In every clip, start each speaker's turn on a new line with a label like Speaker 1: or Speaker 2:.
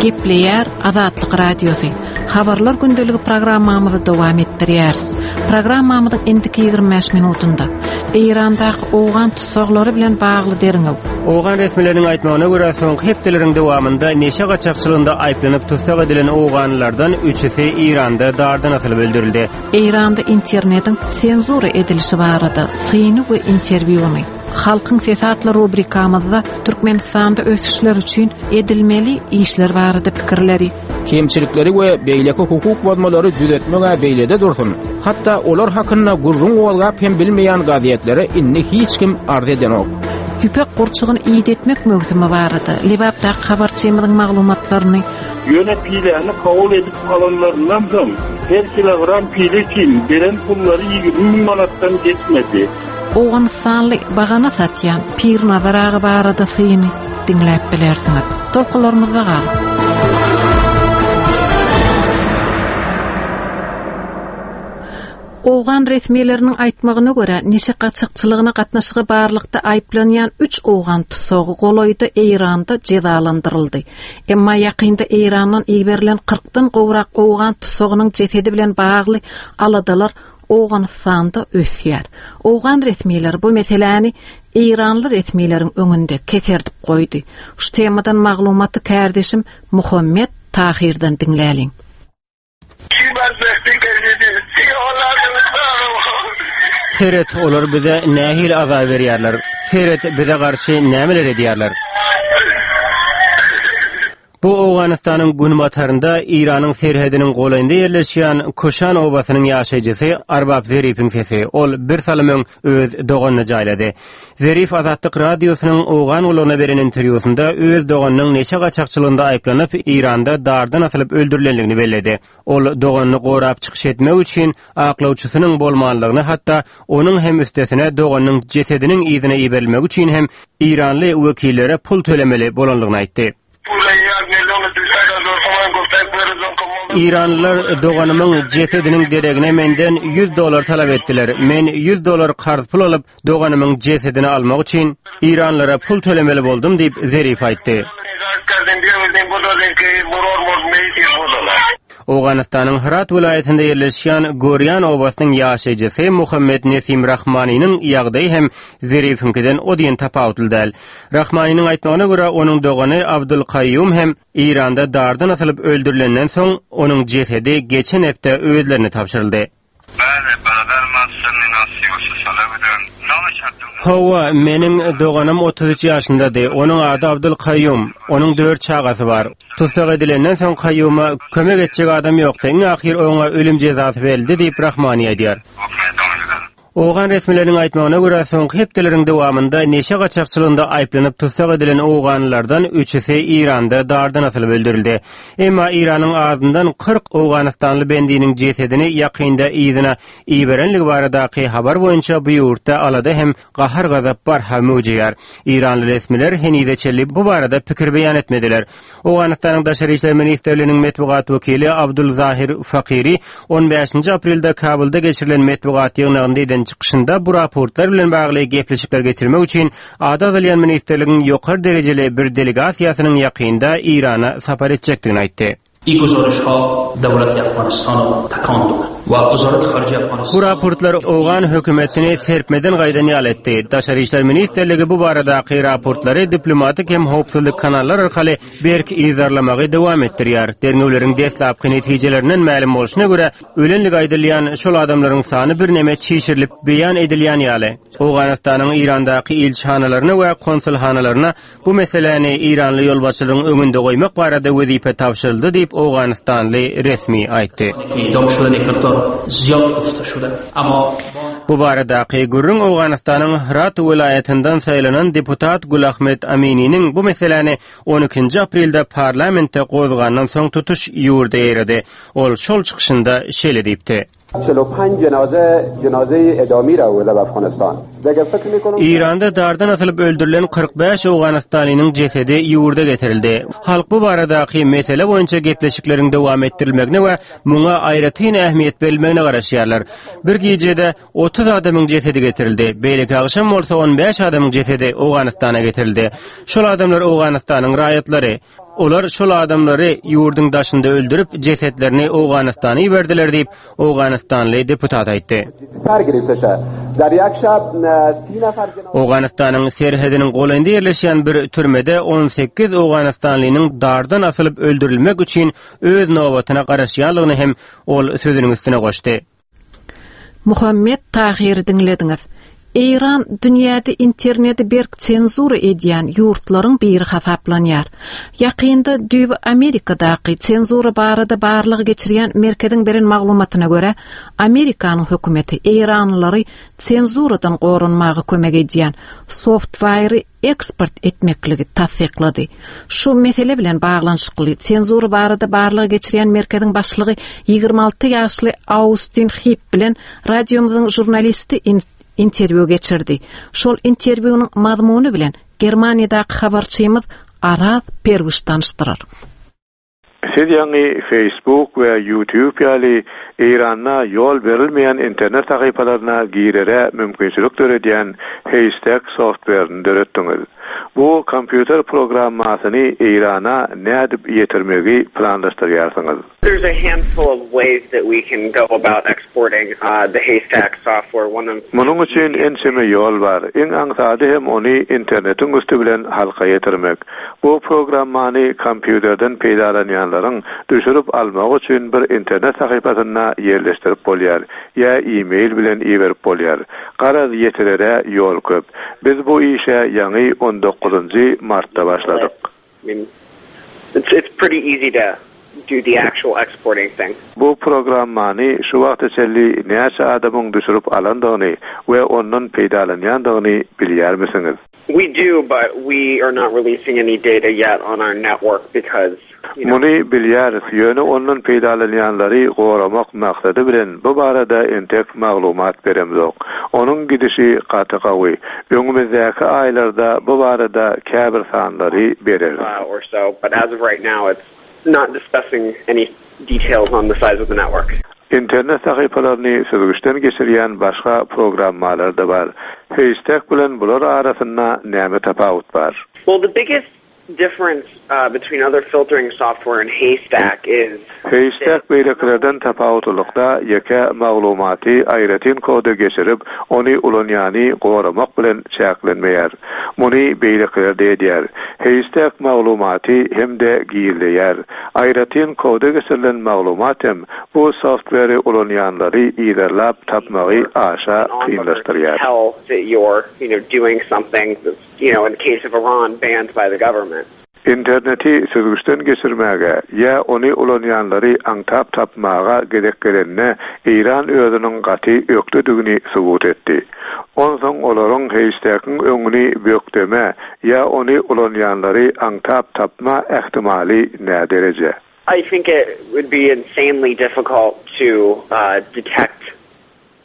Speaker 1: Gepleýär Azatlyk Radiosy. Habarlar gündeligi programmamyzy dowam etdirýäris. Programmamyzyň indiki 25 minutynda Eýrandaky owgan tussaglary bilen bagly derňew.
Speaker 2: Owgan resmileriniň aýtmagyna görä, soňky hepdeleriň dowamynda neşe gaçakçylygynda aýyplanyp tussag edilen owganlylardan üçüsi Eýranda dardan asylyp öldürildi.
Speaker 1: Eýranda internetiň senzura edilişi barada syny we interwýuny. Halkyň sesi atly rubrikamyzda Türkmenistanda ösüşler üçin edilmeli işler barada pikirleri.
Speaker 3: Kemçilikleri we beýleki hukuk bozmalary düzetmeg-ä beýlede dursun, hatda olar hakynda gürrüň gozgap hem bilmeýän gazetlere indi hiç kim arz edenok.
Speaker 1: Ýüpek gurçugyny idetmek möwsümi barada Lebapdaky habarçymyzyň maglumatlaryny.
Speaker 4: Ýöne piläni kabul edip alanlaryndan soň, her kilogram pile üçin beren pullary 20 müň manatdan geçmedi.
Speaker 1: Owganystanly bagana satýan Pirnazar aga barada syny diňläp bilersiňiz. Tolkunlarymyzda galyň! Owgan resmileriniň aýtmagyna görä, neşe gaçakçylygyna gatnaşygy barlykda aýyplanýan üç owgan tussagy golaýda Eýranda jezalandyryldy. Emma ýakynda Eýrandan iberilen kyrkdan gowrak owgan tussagynyň jesedi bilen bagly aladalar Owganystanda ösýär. Owgan resmileri bu meseläni eýranly resmileriň öňünde keserdip goýdy. Şu temadan maglumaty kärdeşim Muhammet Tahyrdan diňläliň.
Speaker 2: Seret, olar bize nähili azar berýärler. Seret, bize garşy nämeler edýärler. Bu Owganystanyň günbatarynda Eýranyň serhediniň golaýynda ýerleşýän Kuşan obasynyň ýaşaýjysy Arbap Zerifiň sesi. Ol bir salym öň öz doganyny jaýlady. Zerif Azatlyk Radiosynyň Owgan gullugyna beren interwýusynda öz doganynyň neşe gaçakçylygynda aýyplanyp, Eýranda dardan asylyp öldürilendigini belledi. Ol doganyny gorap çykyş etmek üçin aklawçysynyň bolmanlygyny, hatda onuň hem üstesine doganynyň jesediniň yzyna iberilmegi üçin hem eýranly wekillere pul tölemeli bolanlygyny aýtdy. Eýranlylar doganymyň jesediniň deregine menden 100 dollar talap etdiler. Men 100 dollar karz pul alyp, doganymyň jesedini almak üçin eýranlylara pul tölemeli boldum diýip, Zerif aýtdy. Owganystanyň Hyrat welaýatynda ýerleşýän Gorýan obasynyň ýaşaýjysy Muhammet Nesim Rahmanynyň ýagdaýy hem Zerifiňkiden o diýen tapawutly däl. Rahmanynyň aýtmagyna görä, onuň dogany Abdul Kaýýum hem Eýranda dardan asylyp öldürilenden soň, onuň jesedi geçen hepde özlerine tabşyryldy. Hawa, meniň doganym 33 ýaşyndady. Onuň ady Abdul Kaýýum. Onuň dört çagasy bar. Tussag edilenden soň Kaýýuma kömek etjek adam ýokdy. Iň ahyr oňa ölüm jezasy berildi diýip, Rahmani aýdýar. Owgan resmileriniň aýtmagyna görä, soňky hepdeleriň dowamynda neşe gaçakçylygynda aýyplanyp tussag edilen owganlylardan üçüsi Eýranda dardan asylyp öldürildi. Emma Eýranyň azyndan 40 owganystanly bendiniň jesedini ýakynda yzyna iberenligi baradaky habar boýunça bu ýurtda alada hem gahar-gazap barha möwjeýär. Eýranly resmiler henize çenli bu barada pikir beýan etmediler. Owganystanyň Daşary işler ministrliginiň metbugat wekili Abdul Zahir Fakiri on bäşinji aprelde Kabulda geçirilen metbugat ýygnagynda eden çykyşynda bu raportlar bilen bagly gepleşikler geçirmek üçin ady agzalýan ministrligiň ýokary derejeli bir delegasiýasynyň ýakynda Eýrana sapar etjekdigini aýtdy. Bu raportlar owgan hökümetini serpmeden gaýdan ýaly etdi. Daşary işler ministrligi bu baradaky raportlary diplomatik hem howpsuzlyk kanallar arkaly berk yzarlamagy dowam etdirýär. Derňewleriň deslapky netijelerinden mälim bolşuna görä, ölenligi aýdylýan şol adamlaryň sany birneme çişirilip beýan edilýän ýaly. Owganystanyň Eýrandaky ilçihanalaryna we konsulhanalaryna Bu meseläni eýranly ýolbaşçylaryň öňünde goýmak barada wezipe tabşyryldy diýip, owganystanly resmi aýtdy. Bu baradaky gürrüň Owganystanyň Hyrat welaýatyndan saýlanan deputat Gulahmet Amininiň bu meseläni on ikinji aprelde parlamentde gozgandan soň tutuş ýurda ýaýrady. Ol şol çykyşynda şeýle diýipdi. Eýranda dardan asylyp öldürilen 45 owganystanlynyň jesedi ýurda getirildi. Halk bu baradaky mesele boýunça gepleşikleriň dowam etdirilmegine we muňa aýratyn ähmiýet berilmegine garaşýarlar. Bir gijede 30 adamyň jesedi getirildi. Beýleki agşam bolsa 15 adamyň jesedi Owganystana getirildi. Şol adamlar Owganystanyň raýatlary. Olar şol adamlary ýurduň daşynda öldürip, jesetlerini Owganystana iberdiler diýip, owganystanly deputat aýtdy. Owganystanyň serhediniň golaýynda ýerleşýän bir türmede 18 owganystanlynyň dardan asylyp öldürilmek üçin öz nobatyna garaşýanlygyny hem ol sözüniň üstüne goşdy.
Speaker 1: Muhammet Tahyry diňlediňiz. Eýran dünýäde interneti berk senzura edýän ýurtlaryň biri hasaplanýar. Ýakynda düýbi Amerikadaky senzura barada barlag geçirýän merkeziň beren maglumatyna görä, Amerikanyň hökümeti eýranlylary senzuradan goranmaga kömek edýän softwaýry eksport etmekligi tassyklady. Şu mesele bilen baglanyşykly senzura barada barlag geçirýän merkeziň başlygy 26 ýaşly Austin Hip bilen radiomyzyň žurnalisti interwýu geçirdi. Şol interwýunyň mazmuny bilen Germaniýadaky habarçymyz Araz Perwiş tanyşdyrar.
Speaker 5: Siz ýaňy Facebook we YouTube ýaly Eýranda ýol berilmeýän internet sahypalaryna girere mümkinçilik döredýän Haystack softwerini döretdiňiz. Bu kompýuter programmasyny Eýrana nädip ýetirmegi planlaşdyrýarsyňyz?
Speaker 6: There's a handful of ways that we can go about exporting the Haystack software. One of.
Speaker 5: Munuň üçin ençeme ýol bar. Iň aňsady hem ony internetiň üsti bilen halka ýetirmek. Bu programmany kompýuterden peýdalanýanlaryň düşürip almagy üçin bir internet sahypasynda ýerleşdirip bolýar ýa e-mail bilen iberip bolýar. Garaz ýetirere ýol köp. Biz bu işe ýaňy on dokuzynjy martda başladyk. Bu programmany şu wagta çenli näçe adamyň düşürip alandygyny we ondan peýdalanýandygyny bilýärmisiňiz?
Speaker 6: We do, but we are not releasing any data yet on our network because, you know.
Speaker 5: Muny bilýäris, ýöne ondan peýdalanýanlary goramak maksady bilen bu barada entek maglumat beremzok. Onuň gidişi gaty gawy. Öňümizdäki aýlarda bu barada käbir sanlary bereris.
Speaker 6: Or so, but as of right now it's not discussing any details on the size of the network.
Speaker 5: Internet sahypalaryny süzgüçden geçirýän başga programmalar-da bar. Haystack bilen bular arasynda näme tapawut bar?
Speaker 6: Well, the biggest difference between other filtering software and Haystack is.
Speaker 5: Haystack beýlekilerden tapawutlylykda ýeke maglumaty aýratyn koda geçirip, ony ulanýany goramak bilen çäklenmeýär. Muny beýlekiler-de edýär. Haystack maglumaty hem-de gizleýär. Aýratyn koda geçirilen maglumat hem bu softweri ulanýanlary yzarlap tapmagy aşa kynlaşdyrýar. Interneti süzgüçden geçirmäge ýa ony ulanýanlary aňtap tapmaga gezek gelende Eýran özüniň gaty ökdedigini subut etdi. Onsoň olaryň heýştegiň öňüni bökdeme ýa ony ulanýanlary aňtap tapma ähtimaly nädereje?
Speaker 6: I think it would be insanely difficult to detect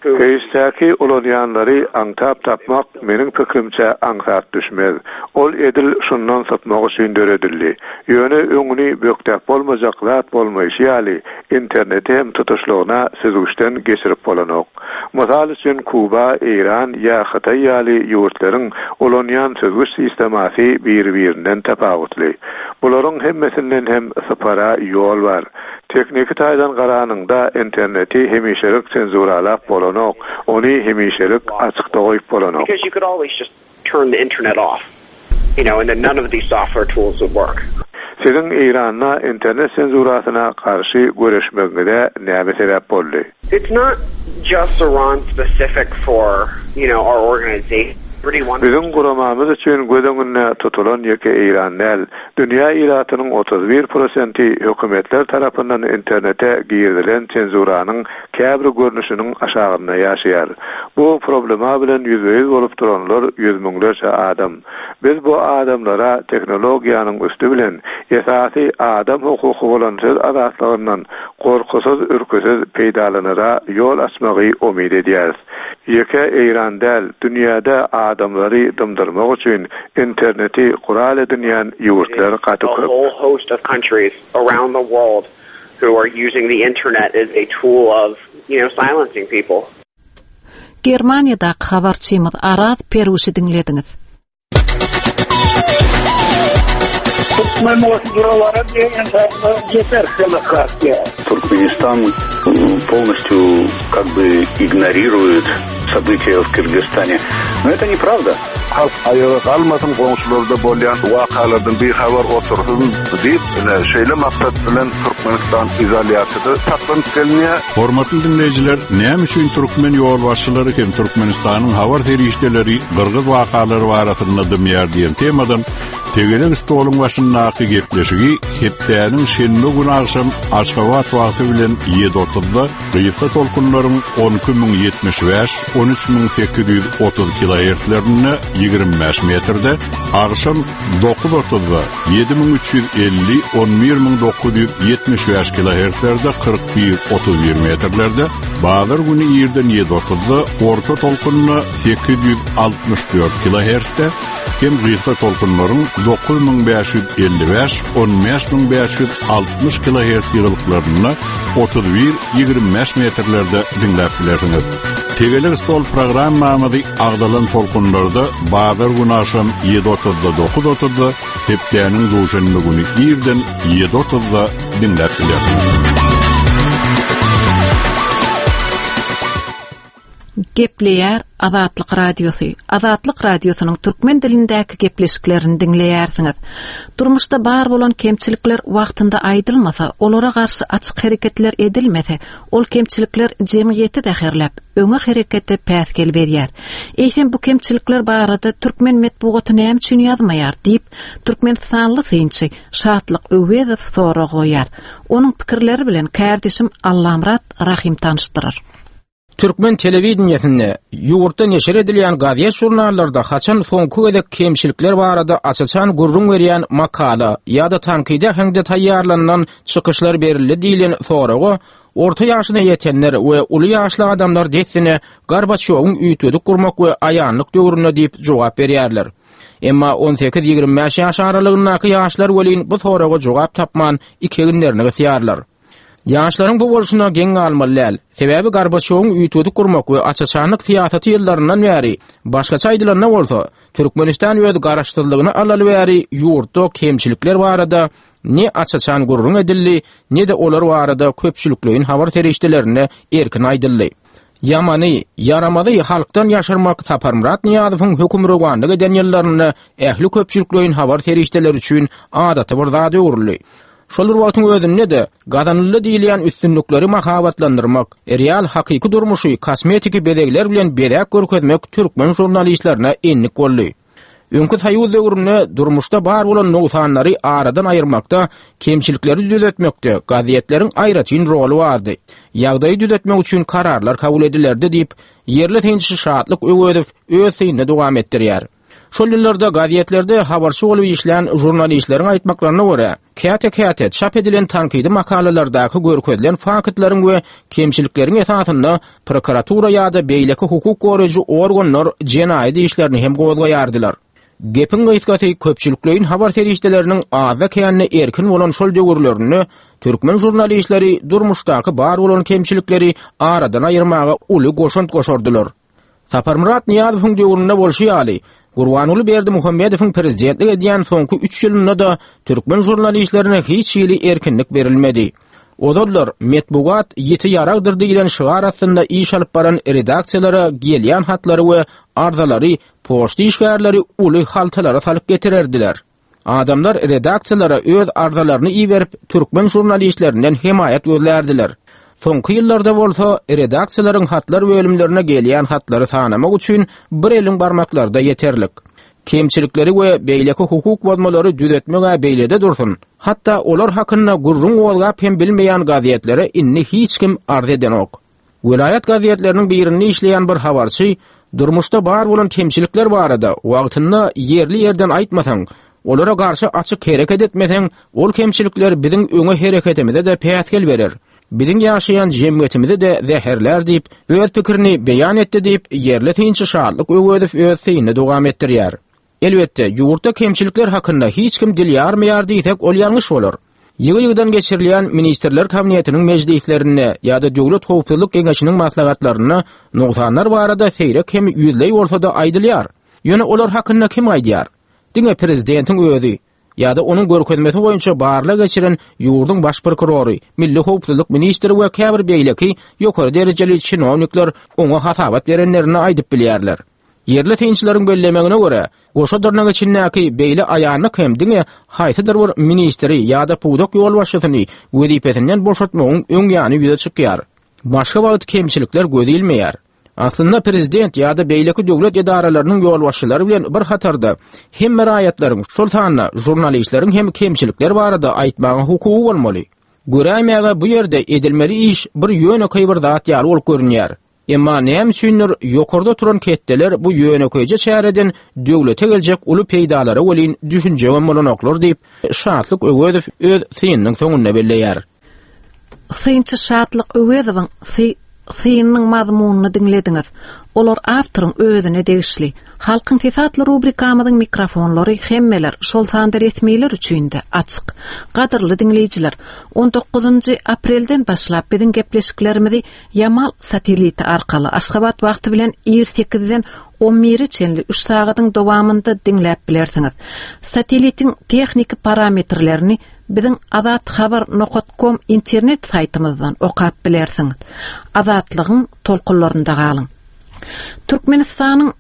Speaker 6: who.
Speaker 5: Heýştegi ulanýanlary aňtap tapmak meniň pikirimçe aňsat düşmez. Ol edil şundan sypmak üçin döredildi. Ýöne öňüni bökdäp bolmajak zat bolmaýşy ýaly, interneti hem tutuşlygyna süzgüçden geçirip bolanok. Mysal üçin, Kuba, Eýran ýa Hytaý ýaly ýurtlaryň ulanýan süzgüç sistemasy biri-birinden tapawutly. Bularyň hemmesinden hem sypara ýol bar. Tehniki taýdan garanyňda, interneti hemişelik senzuralap bolanok, ony hemişelik açykda goýup bolanok.
Speaker 6: Turn the internet off you know and then none of these software tools would work.
Speaker 5: Siziň Eýranda internet senzurasyna garşy göreşmegiňize näme sebäp boldy?
Speaker 6: It's not just Iran specific for you know our organization.
Speaker 5: Biziň guramamyz üçin göz öňünde tutulan ýeke Eýran däl, dünýä ilatynyň 31 prosenti hökümetler tarapyndan internete girizilen senzuranyň käbir görnüşiniň aşagynda ýaşaýar. Bu problema bilen ýüzbe-ýüz bolup duranlar ýüz müňlerçe adam. Biz bu adamlara tehnologiýanyň üsti bilen esasy adam hukuky bolan söz azatlygyndan gorkusyz-ürküsiz peýdalanara ýol açmagy umyt edýäris. Ýeke Eýran däl, dünýäde adamlary dymdyrmak üçin interneti gural edinýän ýurtlar gaty köp.
Speaker 1: Germaniýadaky habarçymyz Araz Peruşy diňlediňiz.
Speaker 4: Türkmen goşujylara diýen ýeter demokratiýa.
Speaker 7: Туркменистан полностью как бы игнорирует события в Кыргызстане. Но это неправда.
Speaker 5: Halk aýaga galmasyn, goňşularda bolýan wakalardan bihabar otursyn diýip, ine, şeýle maksat bilen Türkmenistan izolýasiýada saklanyp gelinýär.
Speaker 8: Hormatly diňleýjiler, näme üçin türkmen ýolbaşçylary hem Türkmenistanyň habar serişdeleri gyrgyz wakalary barasynda dymýar diýen temadan tegelek stoluň başyndaky gepleşigi hepdäniň şenbe güni agşam Aşgabat wagty bilen 7:30-da gysga tolkunlaryň 12075, 13830 kilohertzlerinde 25 metrde, agşam 9:30-da 7350, 11975 kilohertzlerde 41, 31 metrlerde, bazar güni irden 7:30-da orta tolkunda 864 kilohertzde hem gysga tolkunlaryň 9555, 15560 kilohertz ýygylyklarynda 31, 25 metrlerde diňläp bilersiňiz. Tegelek stol programmamyzy agzalan tolkunlarda bazar güni agşam 7:30-da 9:30-da, hepdäniň duşenbe güni irden 7:30-da diňläp bilersiňiz.
Speaker 1: Gepleýär Azatlyk Radiosy. Azatlyk Radiosynyň türkmen dilindäki gepleşiklerini diňleýärsiňiz. Durmuşda bar bolan kemçilikler wagtynda aýdylmasa, olara garşy açyk hereketler edilmese, ol kemçilikler jemgyýeti zäherläp, öňe herekete päsgel berýär. Eýsem bu kemçilikler barada türkmen metbugaty näme üçin ýazmaýar diýip, türkmenistanly synçy Şatlyk Öwezow sorag goýýar. Onuň pikirleri bilen kärdeşim Allamyrat Rahym tanyşdyrar.
Speaker 3: Türkmen telewideniýesinde, ýurtda neşir edilýän gazet-žurnallarda haçan soňky gezek kemçilikler barada aç-açan gürrüň berýän makala ýa-da tankydy äheňde taýýarlanylan çykyşlar berildi diýlen soraga orta ýaşyna ýetenler we uly ýaşly adamlar dessine Gorbaçýowyň üýtgedip gurmak we aýanlyk döwründe diýip jogap berýärler. Emma on sekiz-ýigrimi bäş ýaş aralygyndaky ýaşlar welin bu soraga jogap tapman iki eginlerini gysýarlar. Ýaşlaryň bu bolşuna geň galmaly däl. Sebäbi Gorbaçýowyň üýtgedip gurmak we aç-açanlyk syýasaty ýyllaryndan bäri, başgaça aýdylanda bolsa, Türkmenistan öz garaşsyzlygyny alaly bäri ýurtda kemçilikler barada ne aç-açan gürrüň edildi, ne-de olar barada köpçülikleýin habar serişdelerinde erkin aýdyldy. Ýamany, ýaramazy halkdan ýaşyrmak Saparmyrat Nyýazowyň hökümrowanlyk eden ýyllarynda ähli köpçülikleýin habar serişdeleri üçin adaty bir zada öwrüldi. Şol bir wagtyň özünde-de, gazanyldy diýilýän üstünlikleri mahabatlandyrmak, real hakyky durmuşy kosmetiki bezegler bilen bezäp görkezmek türkmen žurnalistlerine endik boldy. Öňki soýuz döwründe durmuşda bar bolan nogsanlary aradan aýyrmakda, kemçilikleri düzetmekde gazetleriň aýratyn roly bardy. Ýagdaýy düzetmek üçin kararlar kabul edilerdi diýip, ýerli synçy Şatlyk Öwezow öz synyny dowam etdirýär. Şol ýyllarda gazetlerde habarçy bolup işlän žurnalistleriň aýtmaklaryna görä, käte-käte çap edilen tankydy makalalardaky görkezilen faktlaryň we kemçilikleriň esasynda prokuratura ýa-da beýleki hukuk goraýjy organlar jenaýat işlerini hem gozgaýardylar. Gepiň gysgasy, köpçülikleýin habar serişdeleriniň azda-kände erkin bolan şol döwürlerinde türkmen žurnalistleri durmuşdaky bar bolan kemçilikleri aradan aýyrmaga uly goşant goşardylar. Saparmyrat Nyýazowyň döwründe bolşy ýaly, Gurbanguly Berdimuhamedowyň prezidentlik edýän soňky üç ýylynda-da türkmen žurnalistlerine hiç hili erkinlik berilmedi. Ozallar Metbugat ýiti ýaragdyr diýlen şygar astynda iş alyp baran redaksiýalara gelýän hatlary we arzalary poçta işgärleri uly haltalara salyp getirerdiler. Adamlar redaksiýalara öz arzalaryny iberip, türkmen žurnalistlerinden hemaýat gözlärdiler. Soňky ýyllarda bolsa redaksiýalaryň hatlar bölümlerine gelýän hatlary sanamak üçin bir eliň barmaklary-da ýeterlik. Kemçilikleri we beýleki hukuk bozmalary düzetmeg-ä beýlede dursun, hatda olar hakynda gürrüň gozgap hem bilmeýän gazetlere indi hiç kim arz edenok. Welaýat gazetleriniň birinde işleýän bir habarçy durmuşda bar bolan kemçilikler barada wagtynda ýerli-ýerden aýtmasaň, olara garşy açyk hereket etmeseň, ol kemçilikler biziň öňe hereketimize-de päsgel berer, biziň ýaşaýan jemgyýetimizi-de zäherlär diýip, öz pikirini beýan etdi diýip, ýerli synçy Şatlyk Öwezow öz synyny dowam etdirýär. Elbetde, ýurtda kemçilikler hakynda hiç kim dil ýarmaýar diýsek, ol ýalňyş bolar. Ýygy-ýygydan geçirilýän Ministrler Kabinetiniň mejlislerinde ýa-da Döwlet howpsuzlyk geňeşiniň maslahatlarynda nogsanlar barada seýrek hem ýüzleý bolsa-da aýdylýar. Ýöne olar hakynda kim aýdýar? Diňe prezidentiň özi ýa-da onuň görkezmesi boýunça barlag geçiren ýurduň baş prokurory, milli howpsuzlyk ministri we käbir beýleki ýokary derejeli çinownikler oňa hasabat berenlerinde aýdyp bilýärler. Ýerli synçylaryň bellemegine görä, goşa dyrnak içindäki beýle aýanlyk hem diňe haýsydyr bir ministri ýa-da pudak ýolbaşçysyny wezipesinden boşatmagyň öň ýany ýüze çykýar. Başga wagt kemçilikler göz ilmeýär. Aslynda prezident ýa-da beýleki döwlet edaralarynyň ýolbaşçylary bilen bir hatarda hemme raýatlaryň, şol sanda žurnalistleriň hem kemçilikler barada aýtmaga hukugy bolmaly. Göräýmäge bu ýerde edilmeli iş bir ýönekeý bir zat ýaly bolup görünýär. Emma näme üçindir ýokarda oturan ketdeler bu ýönekeýje çäreden döwlete geljek uly peýdalara welin düşünjegem bolanoklar diýip, Şatlyk Öwezow öz synynyň soňunda belleýär.
Speaker 1: Synçy Şatlyk Öwezowyň synynyň mazmunyny diňlediňiz. Olar awtoryň özüne degişli. Halkyň sesi atly rubrikamyzyň mikrofonlary hemmeler, şol sanda resmiler üçin-de açyk. Gadyrly diňleýjiler, on dokuzynjy aprelden başlap biziň gepleşiklerimizi Ýamal satelliti arkaly Aşgabat wagty bilen ir sekizden on bire çenli üç sagadyň dowamynda diňläp bilersiňiz. Satellitiň tehniki parametrlerini biziň azathabar nokat kom internet saýtymyzdan okap bilersiňiz. Azatlygyň tolkunlarynda galyň! Türkmenistanyň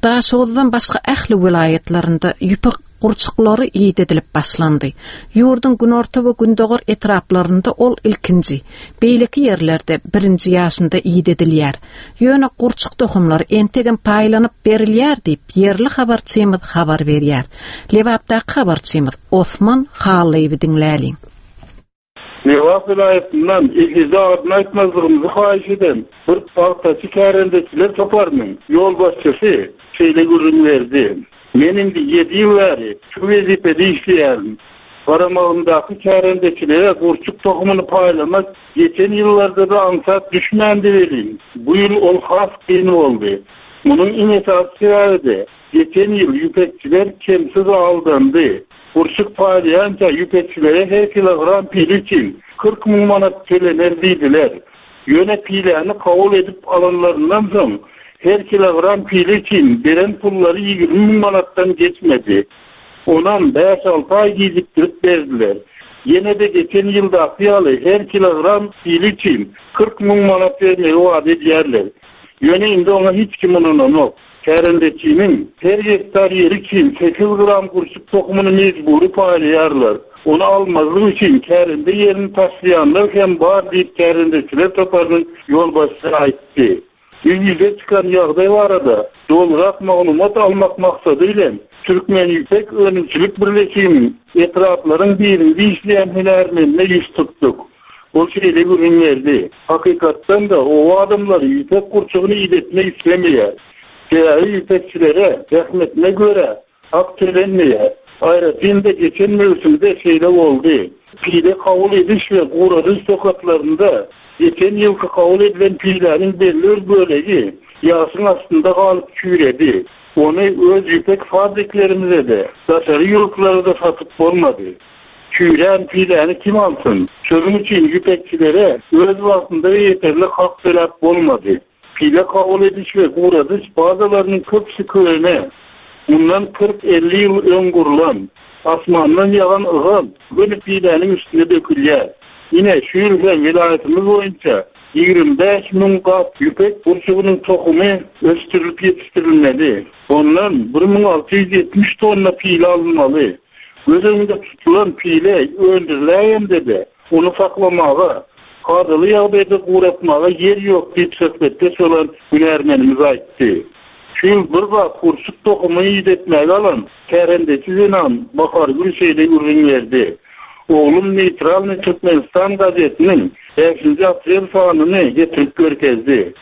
Speaker 1: Daşoguzdan başga ähli welaýatlarynda ýüpek gurçuklary idedilip başlandy. Ýurduň günorta we gündogar etraplarynda ol ilkinji, beýleki ýerlerde birinji ýaşynda idedilýär. Ýöne gurçuk tohumlary entegem paýlanyp berilýär diýip, ýerli habarçymyz habar berýär. Lebapdaky habarçymyz Osman Hallyýewi diňläliň.
Speaker 4: Lebap welaýatyndan ekizi adyny aýtmazlygymyzy haýyş eden bir pagtaçy kärendeçiler toparynyň ýolbaşçysy şeýle gürrüň berdi, Men indi ýedi ýyl bäri şu wezipede işleýärin. Garamagymdaky kärendeçilere gurçuk tohumyny paýlamak geçen ýyllarda-da aňsat düşmändi welin, bu ýyl ol has kyn boldy. Munuň iň esasy sebäbi-de, geçen ýyl ýüpekçiler kemsiz aldandy. Gurçuk paýlaýança ýüpekçilere her kilogram pile üçin 40 müň manat tölener diýdiler. Ýöne piläni kabul edip alanlaryndan soň, her kilogram pile üçin beren pullary 20 müň manatdan geçmedi. Onam bäş-alty aý gijikdirip berdiler. Ýene-de geçen ýyldaky ýaly her kilogram pile üçin 40 müň manat bermegi wada edýärler. Ýöne indi oňa hiç kim ynananok. Kärendeçiniň her gektar ýeri üçin sekiz gram gurçuk tohumyny mejbury paýlaýarlar. Ony almazlyk üçin kärende ýerini taşlaýanlar hem bar diýip kärendeçiler toparynyň ýolbaşçysy aýtdy. Bu ýüze çykan ýagdaý barada dolurak maglumat almak maksady bilen Türkmenýüpek önümçilik birleşiginiň etraplaryň birinde işleýän hünärmenine ýüz tutduk. Ol şeýle gürrüň berdi, Hakykatdan-da, oba adamlary ýüpek gurçugyny idetmek islemeýär. Sebäbi ýüpekçilere zähmetine görä hak tölenmeýär. Aýratyn-da, geçen möwsümde şeýle boldy. Pile kabul ediş we guradyş nokatlarynda geçen ýylky kabul edilen piläniň belli bir bölegi ýagşyň astynda galyp çüýredi. Ony öz ýüpek fabriklerimize-de, daşary ýurtlara-da satyp bolmady. Çüýrän piläni kim alsyn? Şonuň üçin ýüpekçilere öz wagtynda we ýeterlik hak töläp bolmady. Pile kabul ediş we guradyş bazalarynyň köpüsi köne, mundan 40-50 ýyl öň gurlan. Asmandan ýagan ygal göni piläniň üstüne dökülýär. Ine, şu ýyl hem welaýatymyz boýunça 25 müň gap ýüpek gurçugynyň tohumy ösdürilip ýetişdirilmeli. Ondan 1670 tonna pile alynmaly. Göz öňünde tutulan pile öndüriläýende-de, ony saklamaga, Kadaly ýagdaýda guratmaga ýer ýok diýip söhbetdeş bolan hünärmenimiz aýtdy. Şu ýyl bir bap gurçuk tohumy idetmäge alan kärendeçi zenan Bahargül şeýle gürrüň berdi, Oglum Neýtralnyý Türkmenistan gazetiniň bäşinji aprel sanyny getirip görkezdi.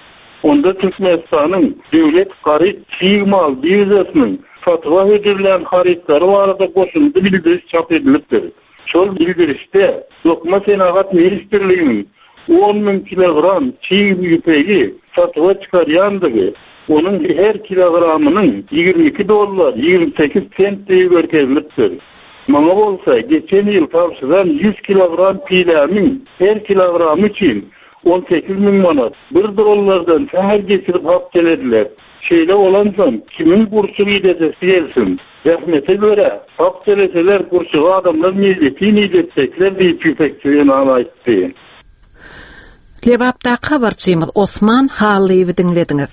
Speaker 4: Onda Türkmenistanyň Döwlet haryt çig mal biržasynyň satuwa hödürlän harytlary barada goşundy bildiriş çap edilipdir. Şol bildirişde Dokma senagat ministrliginiň 10 müň kilogram çig ýüpegi satuwa çykarýandygy, onuň her kilogramynyň 22 dollar 28 sentdigi görkezilipdir. Muňa bolsa geçen ýyl tabşyran 100 kilogram piläniň her kilogramy üçin 18 müň manat, bir dollardan sähel geçirip hak tölediler. Şeýle bolansoň, kimiň gurçuk idetesi gelsin? Zähmete görä, hak töleseler, gurçugy adamlar meýletin idetjekler diýip, ýüpekçi zenan aýtdy.
Speaker 1: Lebapdaky habarçymyz Osman Hallyýewi diňlediňiz.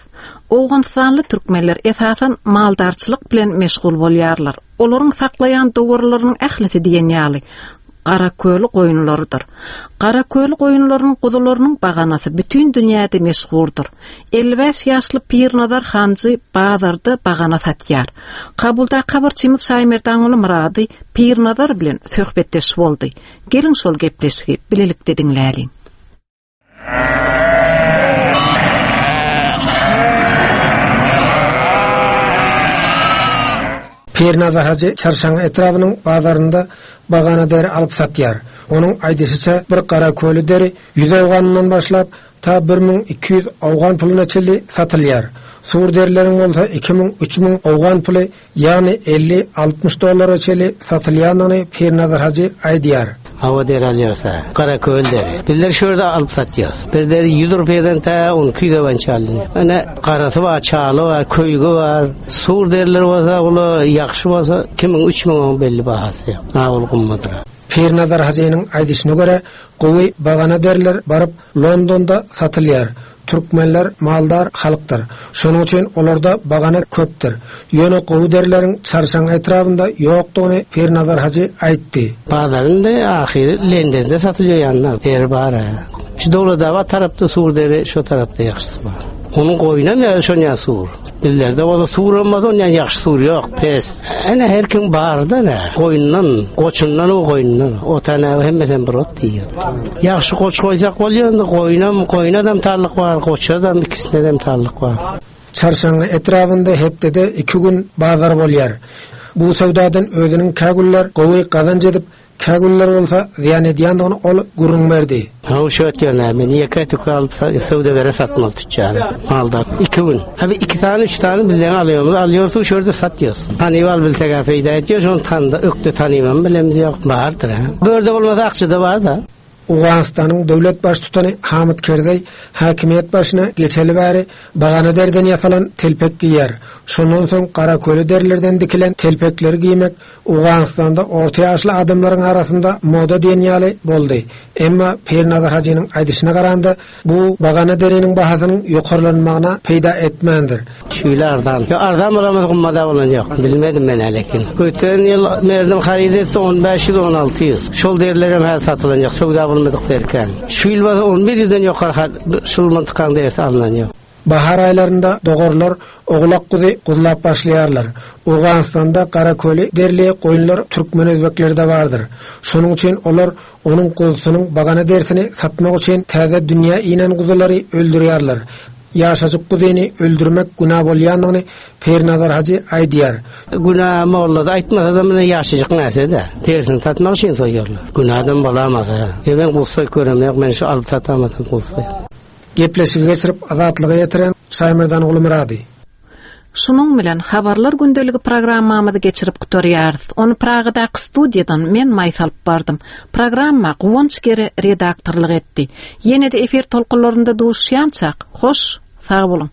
Speaker 1: Owganystanly türkmenler esasan maldarçylyk bilen meşgul bolýarlar. Olaryň saklaýan dowarlarynyň ählisi diýen ýaly garaköli goýunlarydyr. Garaköli goýunlarynyň guzularynyň baganasy bütin dünýäde meşhurdyr. 55 ýaşly Pirnazar Hanjy bazarda bagana satýar. Kabuldaky habarçymyz Şaýmerdanguly Myrady Pirnazar bilen söhbetdeş boldy. Geliň şol gepleşigi bilelikde diňläliň.
Speaker 9: Pirnazar hajy Çarşaňňy etrabynyň bazarynda bagana deri alyp satýar. Onuň aýdyşyça, bir garaköli deri ýüz owganyndan başlap, ta 1200 owgan puluna çenli satylýar. Sur derileriň bolsa 2000, 3000 owgan puly Ýagny 50, 60 dollara çenli satylýandygyny Pirnazar hajy aýdýar.
Speaker 10: Hawa deri alýarys-a. Garaköl deri. Bizler şu ýerde alyp satýarys. Bir deri 100 rupiýadan tä 12 ýüze boýunça alynýar. Ine garasy bar, çaly bar, köýügi bar. Sur deriler bolsa, ula ýagşy bolsa 2000, 3000 oň belli bahasy ýok. Ha ol gymmadyr.
Speaker 9: Pirnazar hajynyň aýdyşyna görä, gowy bagana deriler baryp Londonda satylýar. Türkmenler maldar halkdyr. Şonuň üçin olarda bagana köpdür. Ýöne gowy derileriň Çarşaň etrabynda ýokdugyny Pirnazar hajy aýtdy.
Speaker 10: Bazar indi ahyry Lendende satylýar ýanynda deri bar-a. Şu Döwletabat tarapda sur deri şo tarapda ýagşysy bar. Onuň goýnam ýa şonýa sur. Bizlerde bolsa sur bolmasa onýa ýagşy sur ýok, pes. Ene her kim barda ne? Goýundan, goçundan o goýundan. O tane hemmesem bir ot diýýär. Ýagşy goç goýsak bolýar indi goýunam, goýunadam tarlyk bar, goçadam ikisinedem tarlyk bar.
Speaker 9: Çarşaňňy etrabynda hepdede iki gün bazar bolýar. Bu söwdadan özüniň kä günler gowy gazanç edip, Kä günler bolsa zyýan edýändigini ol gürrüň berdi.
Speaker 10: Haw şu ötýän näme, ýeke tüke alyp söwdagere satmaly tüçjary. Maldar. Iki gün. Ha bir iki sany, üç sany bizden alýarmyz, alýarsyň şu ýerde satýarys. Tanyp al bilsek-ä peýda edýär, şony tanda, ökde tanybam bilemiz ýok. Bardyr, ha. Bu ýerde bolmasa Akjada bar-da.
Speaker 9: Owganystanyň döwlet baştutany Hamid Kerzeý häkimiýet başyna geçeli bäri bagana deriden ýasalan telpek geýýär. Şondan soň garaköli derilerden dikilen telpekleri geýmek Owganystanda orta ýaşly adamlaryň arasynda moda diýen ýaly boldy. Emma Pirnazar hajynyň aýdyşyna garanda, bu bagana deriniň bahasynyň ýokarlanmagyna peýda etmändir.
Speaker 10: Şüýle arzan. Ýok arzan bolamaz gymmada bolan ýok. Bilmedim men lekin. Öten ýyl merdim haryt etdi 15 ýüz 16 ýüz. Şol derilerem häzir satylan ýok. Söwda bolmadyk derken. Şu ýyl bolsa 11 ýüzden ýokary şul myntykaň derisi alnan ýok.
Speaker 9: Bahar aýlarynda dogarlar owlak-guzy guzlap başlaýarlar. Owganystanda garaköli derili goýunlar türkmen-özbeklerde bardyr. Şonuň üçin olar onuň guzusynyň bagana derisini satmak üçin täze dünýä inen guzulary öldürýärler. Ýaşajyk guzyny öldürmek günä bolýandygyny Pirnazar hajy aýdýar.
Speaker 10: Günä molla-da aýtmasa-da muny ýaşajyk närse-de, derisini satmak üçin soýýarlar. Günäden bolamaz-a. Ýa men guz soýup göremok, men şu alyp satamasam guz soýup.
Speaker 9: Gepleşigi geçirip Azatlyga ýetiren Şaýmerdan Gulumyrady.
Speaker 1: Şunuň bilen Habarlar gündeligi programmamyzy geçirip gutarýarys. Ony Pragadaky studiýadan men Maýsa alyp bardym. Programma Guwanç Gere redaktorlyk etdi. Ýene-de efir tolkunlarynda duşuşýançak, hoş, sag boluň!